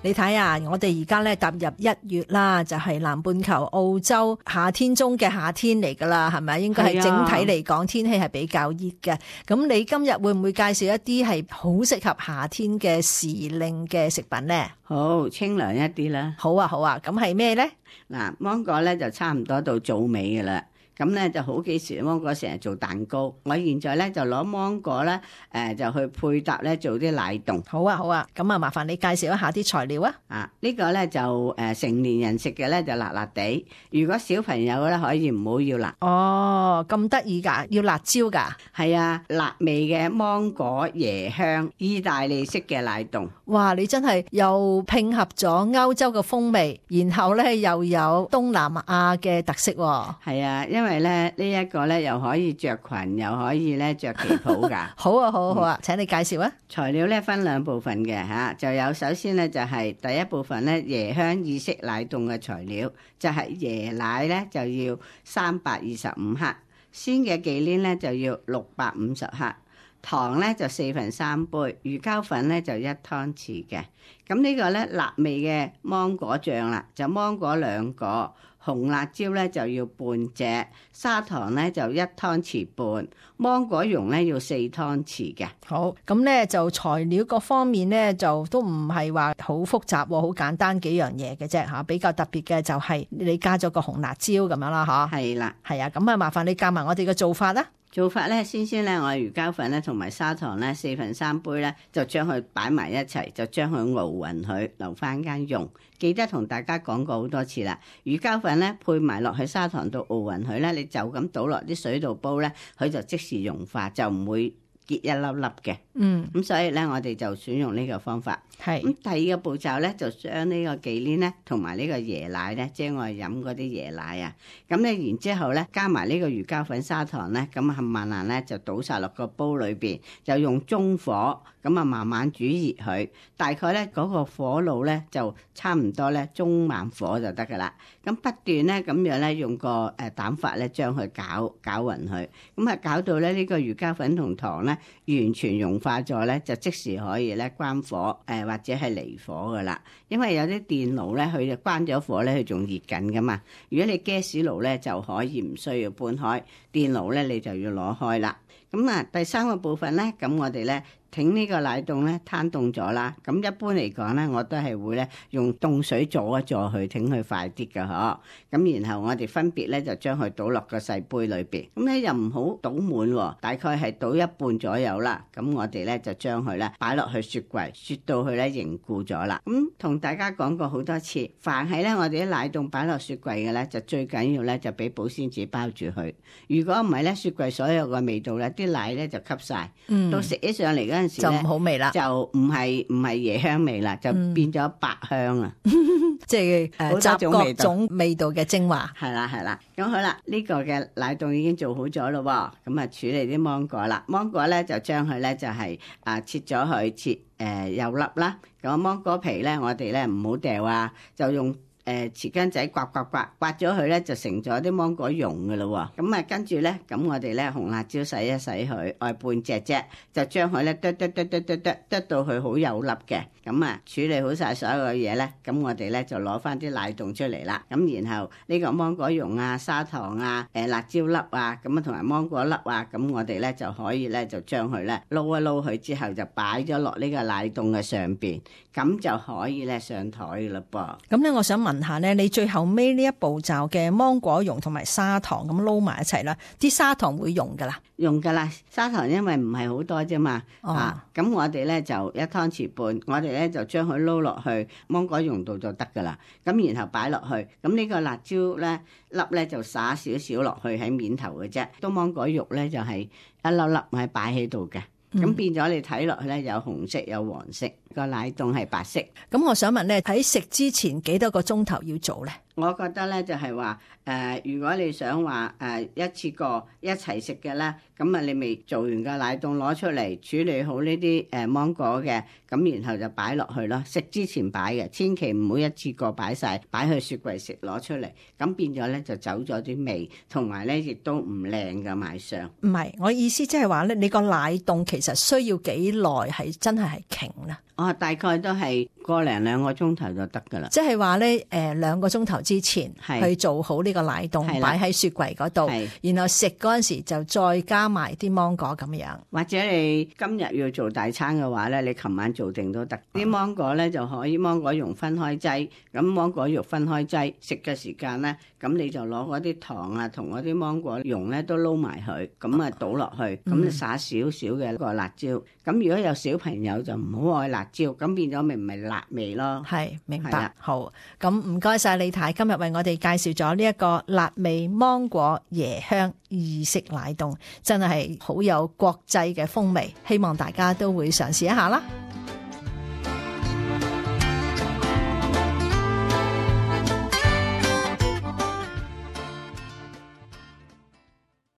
你睇啊，我哋而家咧踏入1月啦，就係南半球澳洲夏天中嘅夏天嚟噶啦，係咪？應該係整體嚟講天氣係比較熱嘅。咁你今日會唔會介紹一啲係好適合夏天嘅時令嘅食品呢？好，清涼一啲啦。好啊，好啊，咁係咩呢？嗱，芒果咧就差唔多到棗尾噶啦。咁咧就好幾時芒果成日做蛋糕，我現在咧就攞芒果咧就去配搭咧做啲奶凍。好啊，好啊，咁啊麻煩你介紹一下啲材料啊。呢個咧就成年人食嘅咧就辣辣地，如果小朋友咧可以唔好要辣。哦，咁得意㗎，要辣椒㗎？係啊，辣味嘅芒果椰香意大利式嘅奶凍。哇，你真係又拼合咗歐洲嘅風味，然後咧又有東南亞嘅特色喎。係啊，因為咧呢一個咧又可以着裙，又可以咧着旗袍㗎。好啊，好啊，好啊，請你介紹啊。材料咧分2部分嘅嚇，就有首先咧就係第一部分咧椰香意式奶凍嘅材料，就係椰奶咧就要325克，鮮嘅忌廉咧就要650克，糖咧就3/4杯，魚膠粉咧就1湯匙嘅。咁呢個咧辣味嘅芒果醬啦，就芒果2個。紅辣椒咧就要半隻，砂糖咧就1湯匙半，芒果蓉咧要4湯匙嘅。好，咁咧就材料各方面咧就都唔係話好複雜，好簡單幾樣嘢嘅啫嚇。比較特別嘅就係你加咗個紅辣椒咁樣啦嚇。係啦，係啊，咁啊麻煩你教埋我哋嘅做法啦。做法咧，先咧，我魚膠粉咧同埋砂糖咧4/3杯咧，就將佢擺埋一齊，就將佢熬勻佢，留翻間用。記得同大家講過好多次啦，魚膠粉咧配埋落去砂糖度熬勻佢咧，你就咁倒落啲水度煲咧，佢就即時融化，就唔會結一粒粒嘅。咁所以咧，我哋就選用呢個方法。係咁第二個步驟咧，就將呢個忌廉咧同埋呢個椰奶咧，即係我哋飲嗰啲椰奶啊。咁咧然之後咧，加埋呢個魚膠粉、砂糖咧，咁冚唪唥咧就倒晒落個煲裏邊，就用中火咁啊慢慢煮熱佢。大概咧嗰個火爐咧就差唔多咧中慢火就得噶啦。咁不斷咧咁樣咧用個膽法咧將佢攪勻佢。咁啊攪到咧呢個魚膠粉同糖咧完全融化咗咧，就即時可以咧關火或者係離火噶啦，因為有啲電爐咧，佢就關咗火咧，佢仲熱緊噶嘛。如果你 gas 爐咧，就可以唔需要搬開，電爐咧你就要攞開啦。咁啊，第3個部分咧，咁我哋咧挺呢個奶凍咧攤凍咗啦。咁一般嚟講咧，我都係會咧用凍水阻一阻佢，挺佢快啲㗎嗬。咁然後我哋分別咧就將佢倒落個細杯裏邊。咁咧又唔好倒滿喎，大概係倒一半左右啦。咁我哋咧就將佢咧擺落去雪櫃，雪到佢咧凝固咗啦。咁同大家講過好多次，凡係咧我哋啲奶凍擺落雪櫃嘅咧，就最緊要咧就俾保鮮紙包住佢。如果唔係咧，雪櫃所有嘅味道咧，啲奶咧就吸晒，到食起上嚟嗰陣時就唔好味啦，就唔係椰香味啦，就變咗百香啊！即係集各種味道嘅精華。係啦係啦，咁好啦，呢個嘅奶凍已經做好咗咯喎，咁啊處理啲芒果啦，芒果咧就將佢咧就係切咗佢，切幼粒啦。咁芒果皮咧，我哋咧唔好掉啊，就用匙羹仔刮咗佢咧，就成咗啲芒果蓉噶咯喎。咁啊跟住咧，咁我哋咧紅辣椒洗一洗佢，愛半隻啫，就將佢咧剁到佢好幼粒嘅。咁啊處理好晒所有嘅嘢咧，咁我哋咧就攞翻啲奶凍出嚟啦。咁然後呢個芒果蓉啊、砂糖啊、辣椒粒啊，咁啊同埋芒果粒啊，咁我哋咧就可以咧就將佢咧撈一撈佢之後，就擺咗落呢個奶凍嘅上邊，咁就可以咧上台噶啦噃。咁咧，我想問下咧，你最後尾呢一步驟嘅芒果蓉同埋砂糖咁撈埋一齊啦，啲砂糖會溶噶啦？用噶啦，砂糖因為唔係好多啫嘛，咁我哋咧就1湯匙半，我哋咧就將佢撈落去芒果蓉度就得噶啦，咁然後擺落去，咁呢個辣椒咧粒咧就灑少少落去喺面頭嘅啫，都芒果肉咧就係一粒粒係擺喺度嘅。咁變咗你睇落去咧，有紅色有黃色，個奶凍係白色。咁我想問咧，喺食之前幾多個鐘頭要做咧？我覺得咧就係話如果你想話一次過一齊食嘅咧，咁啊你未做完個奶凍攞出嚟處理好呢啲芒果嘅，咁然後就擺落去咯。食之前擺嘅，千祈唔好一次過擺晒，擺去雪櫃食攞出嚟，咁變咗咧就走咗啲味，同埋咧亦都唔靚嘅賣相。唔係，我意思即係話咧，你個奶凍其實需要幾耐係真係瓊啦？大概都係個零2個鐘頭就得噶啦。即係話咧2個鐘頭之前去做好呢個奶凍，擺喺雪櫃嗰度，然後食嗰陣時就再加埋啲芒果咁樣。或者你今日要做大餐嘅話咧，你琴晚做定都得。啲芒果咧就可以芒果蓉分開劑，咁芒果肉分開劑，食嘅時間咧，咁你就攞嗰啲糖啊同嗰啲芒果蓉咧都撈埋佢，咁啊倒落去，咁你撒少少嘅個辣椒。咁如果有小朋友就唔好愛辣椒，咁變咗咪唔係辣味咯。係，明白。好，咁唔該晒李太，今日為我哋介紹咗呢一個辣味芒果椰香意式奶凍，真係好有國際嘅風味，希望大家都會嘗試一下啦。